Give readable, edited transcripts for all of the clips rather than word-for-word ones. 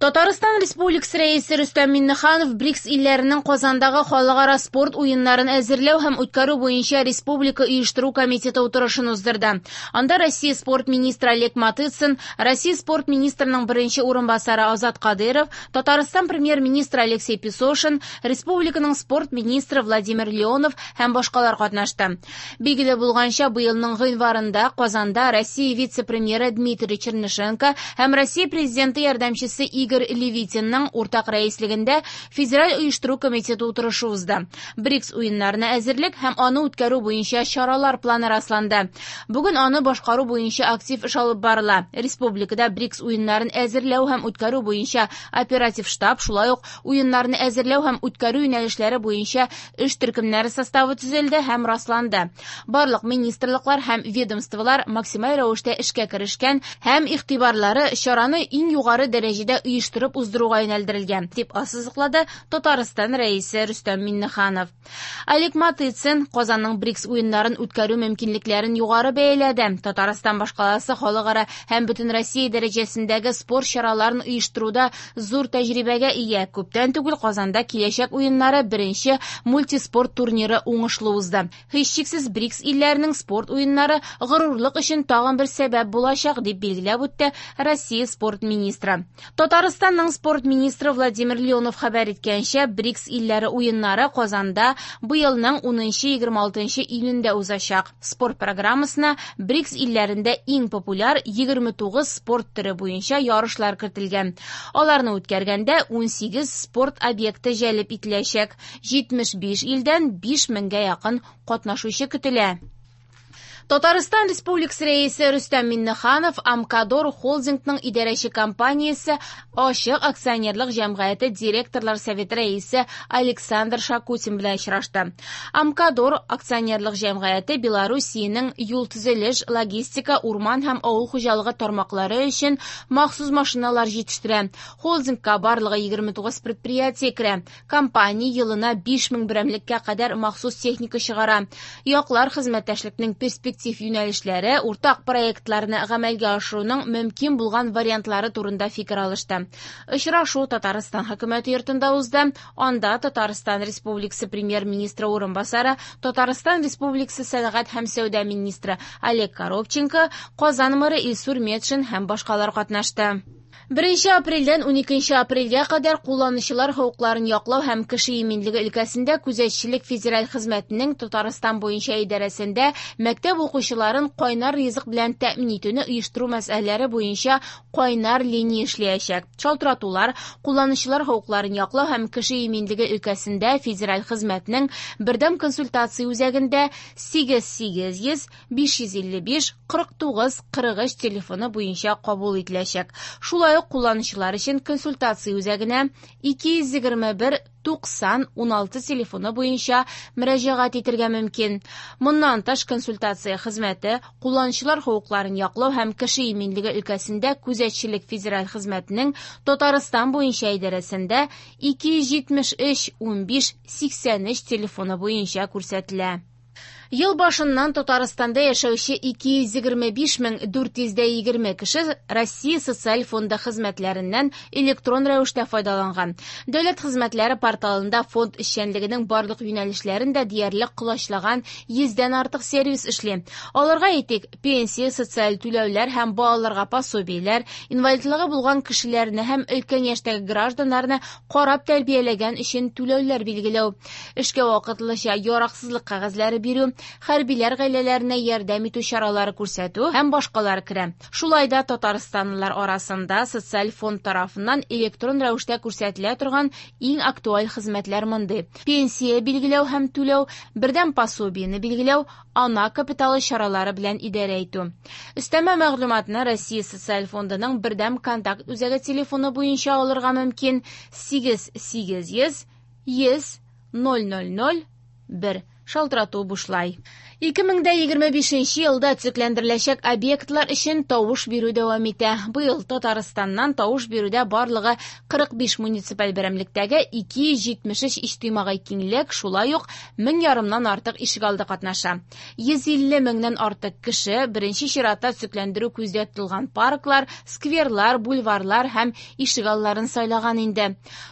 Татарстан Республикасы Рәисе Рөстәм Миңнеханов БРИКС илләренең Казандагы халыкара спорт уеннарын әзерләү һәм үткәрү буенча республика оештыру комитеты утырышын уздырды. Анда Россия спорт министры Олег Матыцин, Россия спорт министрының беренче урынбасары Азат Кадыйров, Татарстан премьер-министры Алексей Песошин, республиканың спорт министры Владимир Леонов һәм башкалар катнашты. Билгеле булганча, быелның гыйнварында Казанда Россия вице-премьеры Дмитрий Чернышенко һәм Россия президенты ярдәмчесе Игорь Левитинның уртак рәислегендә Федераль оештыру комитеты утырышы узды. БРИКС уеннарына әзерлек һәм аны үткәрү буенча чаралар планы расланды. Бүген аны башкару буенча актив эш алып барыла. Республикада БРИКС уеннарын әзерләү һәм үткәрү буенча оператив штаб, шулай ук уеннарны әзерләү һәм үткәрү юнәлешләре буенча эш төркемнәре составы төзелде һәм расланды. Барлык министрлыклар һәм ведомстволар максималь рәвештә эшкә керешкән һәм игътибарлары чараны иң югары дәрәҗәдә оештырып уздыруга юнәлдерелгән, дип ассызыклады Татарстан Рәисе Рөстәм Миңнеханов. Олег Матыцин Казанның БРИКС уеннарын үткәрү мөмкинлекләрен югары бәяләде. Татарстан башкаласы халыкара һәм бөтенроссия дәрәҗәсендәге спорт чараларын оештыруда зур тәҗрибәгә ия. Күптән түгел Казанда киләчәк уеннары беренче мультиспорт турниры уңышлы узды. Һичшиксез БРИКС илләренең спорт уеннары горурлык өчен тагын бер сәбәп булачак, дип билгеләп үтте Россия спорт министры. Татарстанның спорт министры Владимир Леонов хәбәр иткәнчә, БРИКС илләре уеннары Казанда быелның 10-26 июнендә узачак. Спорт программасына БРИКС илләрендә иң популяр 29 спорт төре буенча ярышлар кертелгән. Аларны үткәргәндә 18 спорт объекты җәлеп ителәчәк. 75 илдән 5 меңгә якын катнашучы көтелә. Татарстан Республикасы Рәисе Рөстәм Миңнеханов Амкадор холдингның идарәче компаниясе Ачык акционерлык җәмгыяте директорлар советы рәисе Александр Шакутин белән очрашты. Амкадор акционерлык җәмгыяте Белоруссиянең юл төзелеш, логистика, урман һәм авыл хуҗалыгы тармаклары өчен махсус машиналар җитештерә. Холдингка барлыгы 29 предприятие керә. Компания елына 5000 берәмлеккә кадәр махсус техника чыгара. Яклар хезмәттәшлекнең перспектив юнәлешләре, уртак проектларны гамәлгә ашыруның мөмкин булган вариантлары турында фикер алышты. Очрашу Татарстан хөкүмәте йортында узды. Анда Татарстан Республикасы премьер-министры урынбасары, Татарстан Республикасы сәнәгать һәм сәүдә министры Олег Коробченко, Казан мэры Илсур Метшин һәм башкалар катнашты. 1 апрельдән 12 апрельгә кадәр кулланучылар хокукларын яклау һәм кеше иминлеге өлкәсендә күзәтчелек федераль хезмәтенең Татарстан буенча идарәсендә мәктәп укучыларын кайнар ризык белән тәэмин итүне оештыру мәсьәләләре буенча кайнар линия эшләячәк. Шалтыратулар кулланучылар хокукларын яклау һәм кеше иминлеге өлкәсендә федераль хезмәтнең бердәм консультация үзәгендә 8800 555 49 43 телефоны буенча кабул ителәчәк. Шулай ук кулланучылар өчен консультация үзәгенә 221 90 16 телефоны буенча мөрәҗәгать итәргә мөмкин. Моннан тыш консультация хезмәте кулланучылар хокукларын яклау һәм кеше иминлеге өлкәсендә күзәтчелек федераль хезмәтенең Татарстан буенча идарәсендә 273 15 83 телефоны буенча күрсәтелә. Ел башыннан Татарстанда яшәүче 225 420 кеше Россия социаль фонды хезмәтләреннән электрон рәвештә файдаланган. Дәүләт хезмәтләре порталында фонд эшчәнлегенең барлык юнәлешләрен дә диярлек колачлаган 100дән артык сервис эшли. Аларга әйтик, пенсия, социаль түләүләр һәм балаларга пособиеләр, инвалидлыгы булган кешеләрне һәм өлкән яшьтәге гражданнарны карап тәрбияләгән өчен түләүләр билгеләү, эшкә вакытлыча яраксызлык кәгазьләре бирү, хәрбиләр гаиләләренә ярдәм итү чаралары күрсәтү һәм башкалар керә. Шулай да татарстанлылар арасында социаль фонд тарафыннан электрон рәвештә күрсәтелә торган иң актуаль хезмәтләр мондый: пенсия билгеләү һәм түләү, бердәм пособиене билгеләү, ана капиталы чаралары белән идарә итү. Өстәмә мәгълүматны Россия социаль фондының бердәм контакт үзәге телефоны буенча алырга мөмкин: 8 800 100 000 1. Шалтырату бушлай. 2025 елда төзекләндереләчәк объектлар өчен тавыш бирү дәвам итә. Быел Татарстаннан тавыш бирүдә барлыгы 45 муниципаль берәмлектәге 273 иҗтимагый киңлек, шулай ук 1,5 меңнән артык ишегалды катнаша. 150 меңнән артык кеше беренче чиратта төзекләндерү күздә тотылган парклар, скверлар, бульварлар һәм ишегалларын сайлаган инде.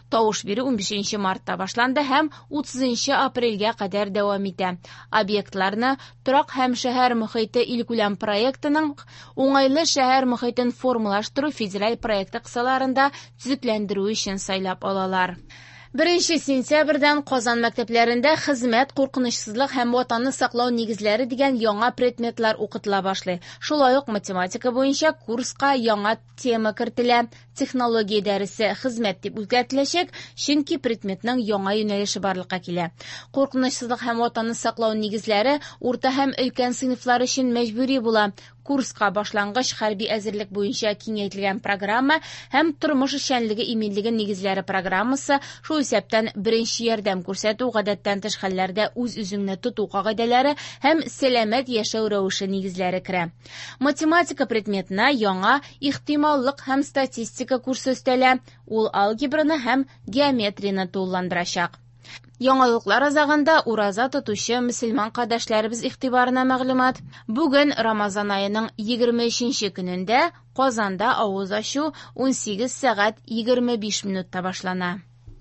Тавыш бирү 15 мартта башланды һәм 30 апрельгә кадәр дәвам итә. Объектларны Торак һәм шәһәр мохите илкүләм проектының Уңайлы шәһәр мохитен формалаштыру федераль проекты кысаларында төзекләндерү өчен сайлап алалар. 1 сентябрьдән Казан мәктәпләрендә хезмәт, куркынычсызлык һәм ватанны саклау нигезләре дигән яңа предметлар укытыла башлый. Шулай ук математика буенча курска яңа тема кертелә. Технология дәресе хезмәт дип үзгәртеләчәк, чөнки предметның яңа юнәлеше барлыкка килә. Куркынычсызлык һәм ватанны саклау нигезләре урта һәм өлкән сыйныфлар өчен мәҗбүри була. Курска башлангыч хәрби әзерлек буенча киңәйтелгән программа һәм тормыш эшчәнлеге иминлеге нигезләре программасы, шул исәптән беренче ярдәм күрсәтү, гадәттән тыш хәлләрдә үз-үзеңне тоту кагыйдәләре һәм сәламәт яшәү рәвеше нигезләре керә. Математика предметына яңа ихтималлык һәм статистика курсы өстәлә, ул алгебраны һәм геометрияне тулыландырачак. Яңалыклар азагында ураза тотучы мөселман кардәшләребез игътибарына мәгълүмат. Бүген Рамазан аеның 23 көнендә Казанда авыз ачу 18 сәгать 25 минутта башлана.